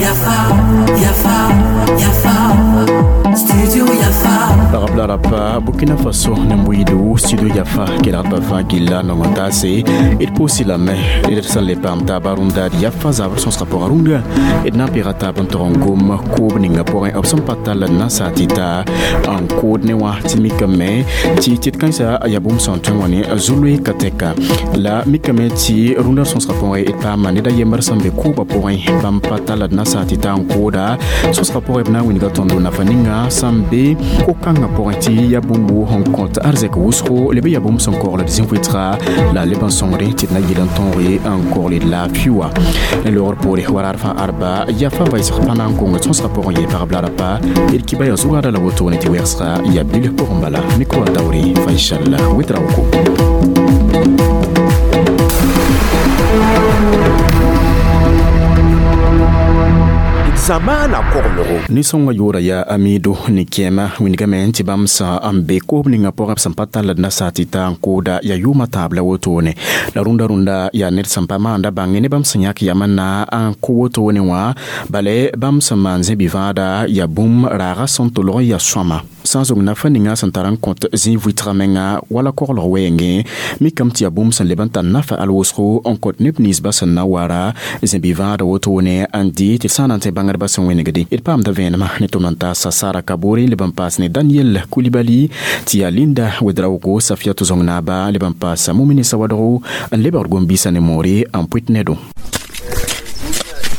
Yafa, Yafa, Yafa, Studio Yafa. Pagã Burkina Faso ne Mbuidu studio Yafa kelgdbã fãa gilla nong n taase d pʋʋsi lame d sẽn le paam taaba rũndad Yafa zabr sõsgã pʋgã rũndã d na n pɩga taab n tog n gom koob ninga pʋgẽ b sẽn pa tall n na n saa tɩ ta n kood ne wã tɩ mikame tɩ tɩ d kãensa yaa bũmb sẽn tõe wã ne zu-loe ka tɛka la mikame tɩ rũndã sõsgã pʋgẽ d paama ned a yembr sẽn be koobã pʋgẽ bãmb pa tall d na n saa tɩ ta n kooda sõsgã pʋgẽ b na n wilga tõndo nafa ninga sẽn be ko-kãngã pʋgẽ tɩ yaa bũmb sẽn kõt arzɛk wʋsgo leb yaa bũmb sẽn kogl d zĩ-vɩtga la leb n sõngre tɩ d na yɩl n tõog n kogl d laafɩ wã ne loogr poore waraar fãa arba yafa vaɩsg pa na n kong sõsgã pʋgẽ yee pagb la rapa d kiba yaa zʋgada la wotone tɩ wɛgsga yaa bilf pʋgẽ bala mikro a taoore Faisal Ouedraogo. Zamaana koglgo. Nisõngã yʋʋra yaa Amido ne kẽema wingame tɩ bãmb sã n be koob ninga pʋgẽ b sẽn pa tall d na saa tɩ ta n kooda yaa yʋʋmã tãab la wotone la rũndã rũndã yaa ned sẽn pa maanda bãnge ne bãmb sẽn yãk yam n na n kõ wotone wã bale bãmb sẽn maan zẽ-bi-vãada yaa bũmb raagã sẽn tolg n yaa sõama sã n zong nafa ninga sẽn tar n kõt zĩ-vɩtgã menga wala koglg wɛɛngẽ mikame tɩ yaa bũmb sẽn leb n tar nafa al wʋsgo n kõt neb ninsbã sẽn na wara zẽ-bi-vãada wotone n dɩ tɩ d sã n na n tẽ bãngdbã sẽn wẽnegde d paamda vẽenemã ne tʋm n taasa Sara Kabore leb n paas ne Daniel Coulibaly tɩ yaa Linda Ouedraogo Safiatou Zong-Naaba leb n paasa Mumini Sawadogo n lebgd gom-biisã ne moore n pʋɩt nedo.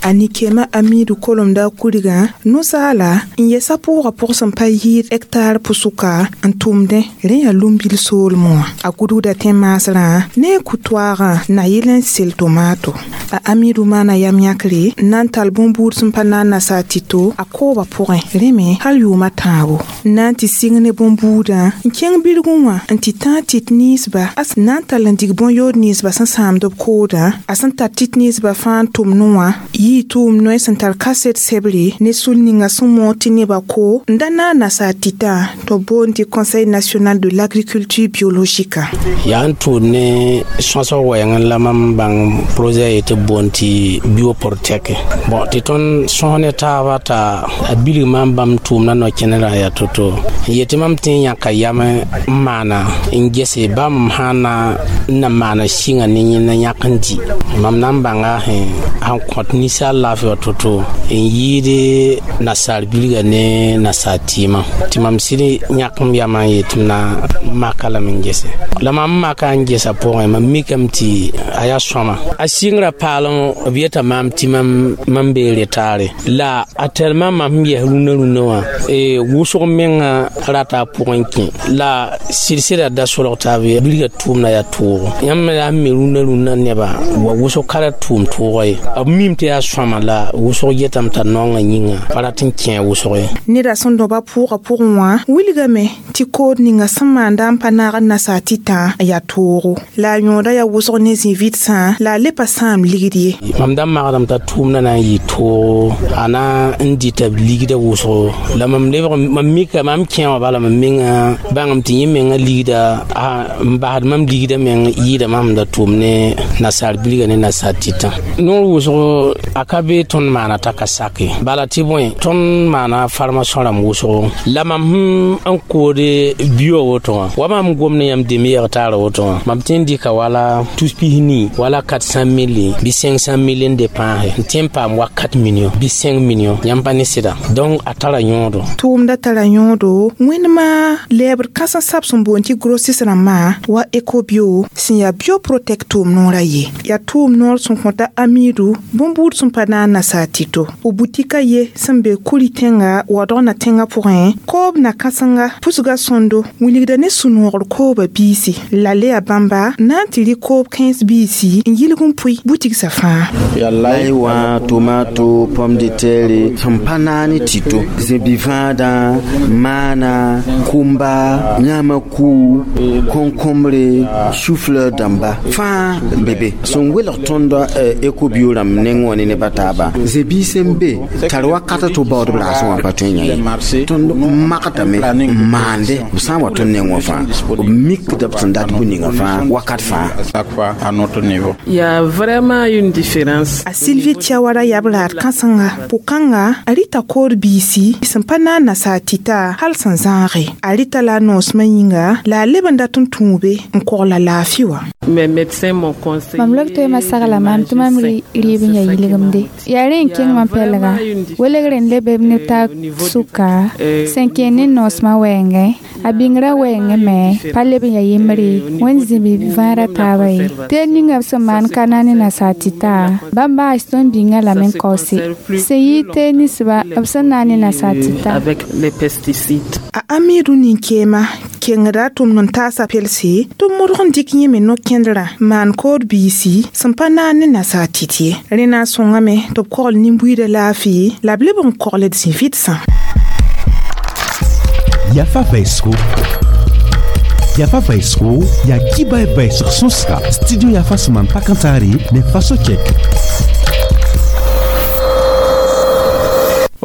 A Nikema Amidu kolomda kuriga nusaala n yɛsa pʋʋga pʋg sẽn pa yɩɩd hectare pʋsʋka n tʋmdẽ rẽ yaa lumbil soolmẽ wã a gudgda tẽ-maasrã ne a ku-toaagã na yɩl n sel tomato a Amidu maana yam yãkre n na n tall bõn-buud sẽn pa na n nasaar tɩto a koobã pʋgẽ rẽ me hal yʋʋmã tãabo n na n tɩ sɩng ne bõn-buudã n kẽng bilgẽ wã n tɩ tãag tɩt ninsba a sẽn na n tall n dig bõn-yood ninsba sẽn sãamd b koodã a sẽn tar tɩt ninsba fãa n tʋmdẽ wã yɩ tʋʋm noe sẽn tar kaset sebre ne sul ninga sẽn moog tɩ nebã ko n da na n nasaar tɩtã tɩ b boond tɩ Conseil national de l'agriculture biologique. Yaa n tʋʋd ne sõsg wɛɛng la mam bãng projet ye tɩ b boond tɩ bioprotec bɔn tɩ tõnd sõs ne taaba t'a a bilg maam bãmb tʋʋmdã no-kẽnerã yaa to-to n yetɩ mam tɩ n yãka yam n maana n gese bãmb sã n na n na maana sɩnga ne yẽnda yãk n dɩ mam na n bãnga sẽn kõt ninsaal laafɩ wa to-to n yɩɩd nasaar bilga ne nasaar tɩɩmã tɩ mam sɩd yãk m yamã n yetɩ m na maka lame n gese la mam maka n gesa pʋgẽ mam mikame tɩ a yaa sõama a sɩngrã paalem b yeta maam tɩ mam bee retaare la a tɛlmã mam sẽn yɛs rũnã rũnã wã wʋsg menga rata a pʋgẽ kẽ la sɩd-sɩda da solg taab ye bilga tʋʋmda yaa toogo yãmb yaa n me rũnã rũnã nebã wa wʋsg ka ra tʋʋm toogã ye b mim tɩ yaa sõama la wʋsg yetame t'a naongã yĩnga pa rat n kẽ wʋsg ye. Neda sẽn dõba pʋʋgã pʋgẽ wã wilgame tɩ kood ninga sẽn maanda n pa naag n nasaar tɩtã yaa toogo la a yõoda yaa wʋsg ne zĩ-vɩtsã la a le pa sãam ligd ye. Mam da magdame t'a tʋʋmdã na n yɩ toogo a na n dɩta ligda wʋsgo la mam lebg mam mika mam kẽ wã bala mam menga bãngame tɩ yẽ menga ligda n basd mam ligda meng yɩɩda mam da tʋʋm ne nasaar bilga ne nasaar tɩtã noor wʋsgo a ka be tõnd maana t'a ka sake bala tɩ bõe tõnd maana farmasõ rãmb wʋsgo la mam n koode bio woto wã wa mam gom ne yãmb dẽmb yɛg taara woto wã mam tẽ n dɩka wala tus-pis-nii wala 400 mille bɩ 500 mille n de pãase n tẽ n paam wa 4 million bɩ 5 million yãmb pa ne sɩda donc a tara yõodo. Tʋʋmda tara yõodo wẽndmã lɛɛbd kãsẽ sab sẽn boond tɩ grossis rãmbã wa ecobio sẽn yaa bioprotec tʋʋm noorã ye yaa tʋʋm noor sẽn kõta Amidu bõn-buud sẽn pa na n nasaar tɩto b butika ye sẽn be kuri tẽnga waoodg na tẽngã pʋgẽ koob na kãsenga pusga sõndo wilgda ne sũ-noogr koobã biisi la le yaa bãmba na n tɩ rɩ koob kãens biisi n yilg n pʋɩ butigsã fãa. Yaa lai wã tomato pomme de terre sẽn pa naag ne tɩto zẽ-bi-vãadã maana kʋmba yãama kuu kõn-kõmbre chou-fleur dãmba fãa n be be sẽn welg tõnd ecobio rãmb neng wã ne neb a taaba zẽ-biis n be tar wakat tɩ b baood b raasẽ wã pa tõe n yã ye tõnd magdame n maande b sã n wa tõnd neng wã fãa b mikda b sẽn dat bũ-ninga fãa wakat fãa. Il y a vraiment une différence. A Sylvie Tiawara yab raad kãsenga pʋ-kãnga a rɩta kood biisi sẽn pa na n nasaar tɩta hal sẽn zãage a rɩta la a noosmã yĩnga la a leb n dat n tũube n kogla laafɩ wã. Mes médecins m'ont conseillé. Mam lok toema sagla maam tɩ mam rɩɩb n yaa yilgemde yaa rẽ n kẽng mam pɛlga welgre n lebe b ne taab sʋka sẽn kẽ ne noosmã wɛɛngẽ a bĩngrã wɛɛngẽ me pa leb n yaa yembre wẽnd zĩbi vãara taaba ye teel ninga b sẽn maan ka na ne nasaar tɩta bãmb baas tõnd bĩngã lame n kaoose sẽn yɩ teel ninsba b sẽn na ne nasaar tɩta. Avec les pesticides. A Amidu nin-keema kengda a tʋmd n taasa pelse tɩ b modg n dɩk yẽ me no-kẽndrã maan kood biisi sẽn pa naan ne nasaar tɩt ye rẽ na n sõngame tɩ b kogl nin-buiidã laafɩ la b leb n kogld zĩ-vɩdsã. Yafa vaisgo Yafa vaisgo ya kiba e vaisg sõsga studio Yafa sẽn maan pakãntaare ne faso chɛk.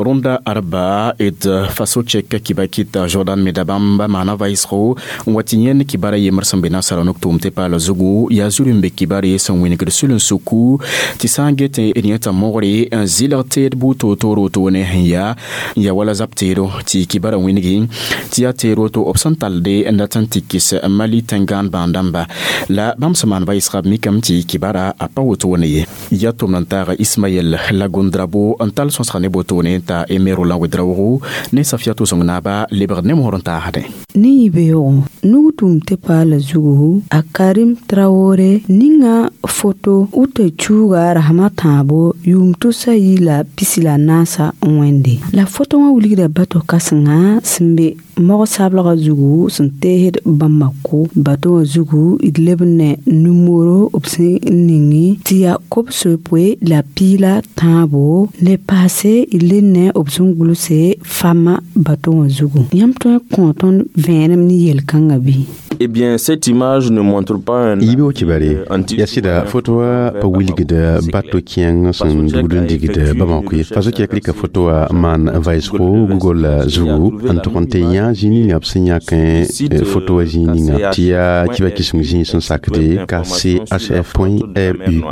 Rũndã arba d faso chɛk kibakit Jordan me da bãmb maana vaɩsgo n wa tɩ yẽnd kibara yembr sẽn be nasara nok tʋʋm tɩ paala zugu yaa zuri n be kibare sẽn wĩnigd sul-n-suku tɩ sã n get d yẽta mogre n zɩlg teed buud toor-toor wotone sẽn yaa n ya wala zab teedo tɩ kibara wĩnigi tɩ yaa teer woto b sẽn talde n dat n tɩ kɩs Mali tẽn-gãan bãan-dãmba la bãmb sẽn maan vaɩsga b mikame tɩ kibara a pa wotone ye ya tʋmd n taaga Ismaɛl Lagondrabo n tall sõsga ne botone t'a Emero la Wedraogo ne Safiatou Sõng-naaba lebgd ne mosr n taasdẽ. Ne yibeoogo nug tʋʋm tɩ paala zugu a Karim Traore ninga foto uta chuuga Rahama tãabo yʋʋm tʋsa yi la pisi la naasa n wẽnde la foto wã wilgda bato kãsenga sẽn be mog-sablgã zugu sẽn teesd Bamako bato wã zugu d leb ne numero b sẽn ningi tɩ yaa kob-sopoe la piila tãabo le paase d le ne b sẽn gʋlse fama bato wã zugu yãmb tõe n kõ tõnd vẽenem ne yel-kãngã bɩ? Eh bien, cette image ne montre pas un yibe kibare yasida fotowa pa wilgda bato kẽeng sẽn dugd n digd Bamako ye faso kɛk rɩka fotowa maan vaɩsgo Google zugu n tʋg n tɩ yã zĩig ninga b sẽn yãkẽ fotowa zĩig ninga tɩ yaa kiba kɩseng zĩig sẽn sakde kchf.ru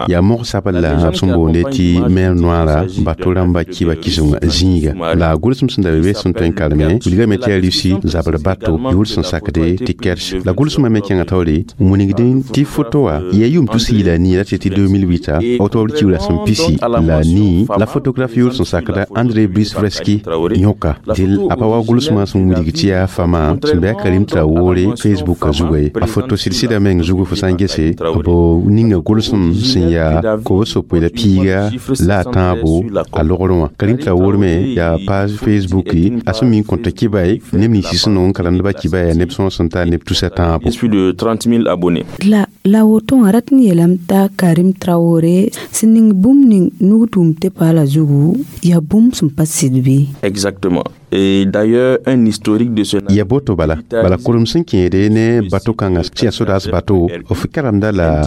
yaa mog-sabl la b sẽn boonde tɩ mer noara bato rãmba kiba kɩseng zĩiga la gʋlsem sẽn da be be sẽn tõe n kareme wilgame tɩ yaa Rusi zabr bato yʋʋr sẽn sakde tɩ Kerch la gʋlsmã me kẽngã taoore n wilgdẽ tɩ foto wã yaa yʋʋm tus yi la nii la tɩ tɩ 2008 octobre kiuula sẽn pisi la nii la photographe yʋʋr sẽn sakda André Brice Vreski yõka dɩl a pa wa gʋlsmã sẽn wilg tɩ yaa fama sẽn be a Karim Traore Facebook zuga ye a foto sɩd-sɩda meng zugu fo sã n gese b ninga gʋlsem sẽn yaa kob-sopoe la piiga la a tãabo a logrẽ wã Karim Traore me yaa page Facebook a sẽn mi n kõta kibay neb nins sẽn nong n karemdbã kibaya neb sõs n tar neb tusa tãabo. Plus de 30 000 abonnés. La woto wã rat n yeelame t'a Karim Traore sẽn ning bũmb ning nug tʋʋm tɩ paala zugu yaa bũmb sẽn pa sɩd bɩ? Exactement. Et d'ailleurs, un historique de ce ya boto bala bala kurum sẽn kẽede ne bato kãngã tɩ yaa sodaas bato f karemda la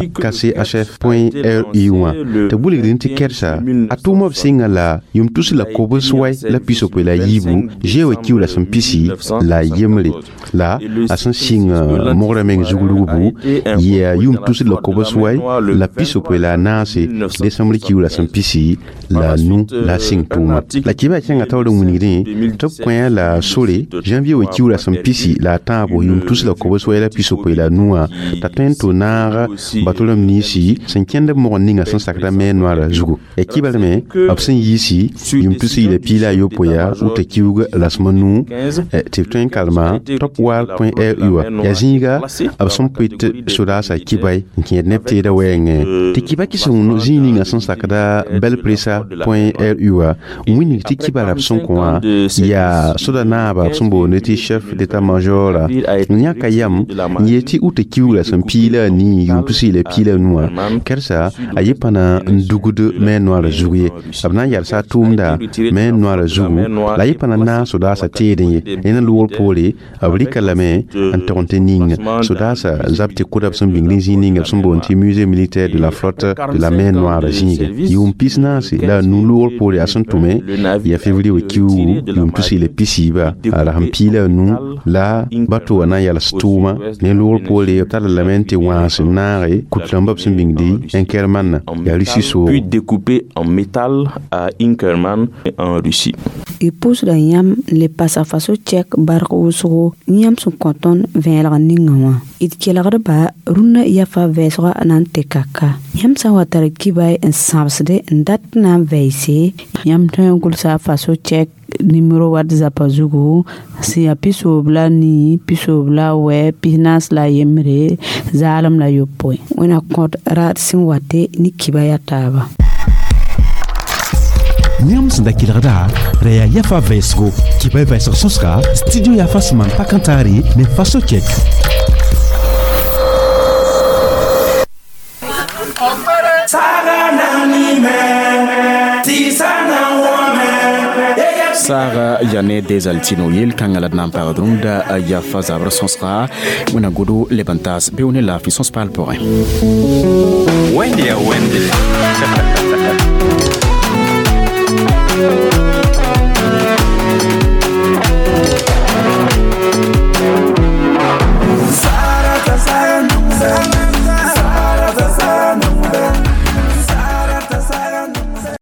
kchf.ru wã tɩ bulgdẽ tɩ kɛrsa a tʋʋma b sɩnga la yʋm tus la kobs wai la pisopoe la yiibu zeoã kiuula sẽn pisi la yembre la a sẽn sɩng mogrã meng zug rugbu yaa yʋm tus la kobs wai la pisopoe la naase décembre kiuula sẽn pisi la nu la sɩng tʋʋma la kɩba kẽngã taoor n wilgdẽ tɩ b kõ la sore janvier wa kiuula sẽn pisi la a tãabo yʋm tus la kobs wai la pisopoe la nuwã t'a tõe n tʋ naag bato rãmb ninsi sẽn kẽnd b mogr ninga sẽn sakda me noara zugu ya kibal me b sẽn yiisi yʋm tus yɩla piila a yopoe yaa wʋta kiuug rasem nuu tɩ b tõe n karema topwar.ru wã yaa zĩiga b sẽn pʋɩt sodaasã kibay n kẽed neb teedã wɛɛngẽ tɩ kiba kɩseng zĩig ninga sẽn sakda belpresa.ru wã n wilg tɩ kiba rab sẽn kõ wã yaa Yaa soda naaba b sẽn boonde tɩ chef d'état major n yãka yam n yeel tɩ uta kiugra sẽn piila a nii yʋʋm pisi la piila nuwã kɛrsa a yɩ pa na n dugd mer noire zug ye. B na n yalsa a tʋʋmda mer noire zugu la a yɩ pa na naag sodaasã teedẽ ye. Ned n loogr poore b rɩka lame n tog n tɩ ning sodaasã zab tɩ kʋda b sẽn bĩng zĩig ninga b sẽn boond tɩ musée militaire de la flotte de la mer noire zĩige yʋʋm pis-naase la a nu loogr poore a sẽn tʋme yaa février wa kiuugu yʋʋm tus la pisiiba a rasem piila a nu la bato wã na n yals tʋʋma ne loogr poore b talla lame n tɩ wãas n naage kut-rãmbã b sẽn bĩngdi Inkerman yaa Russie soogo. Puis découpé en métal à Inkerman en Russie. Y pʋʋsda yãmb n le pasa faso tɛk barg wʋsgo yãmb sẽn kõ tõnd vẽelg ninga wã. D kelgdba rũnnã yafa vɛɛsgã na n tɩ kaka. Yãmb sã n wa tar kibay n sãbsde n dat na n vɛɛse, yãmb tõe n gʋlsa faso tɛk nimero wat zapa zugu sẽn yaa 93, 97, 41, 09. Wẽna kõt raad sẽn wate ne kiba yaa taaba. Yãmb sẽn da kelgda ra yaa yafa vɛɛsgo kibay vɛɛsg sõsga studio yafa sẽn maan pa-kãntaare ne faso kɛk. Saaga yane desaltino yel kãngã la d na n pagd rũndã yafa zabr sõsga wẽna godo leb n taas beoog ne laafɩ sõs paal pʋgẽ. Wẽnde ya wẽnde.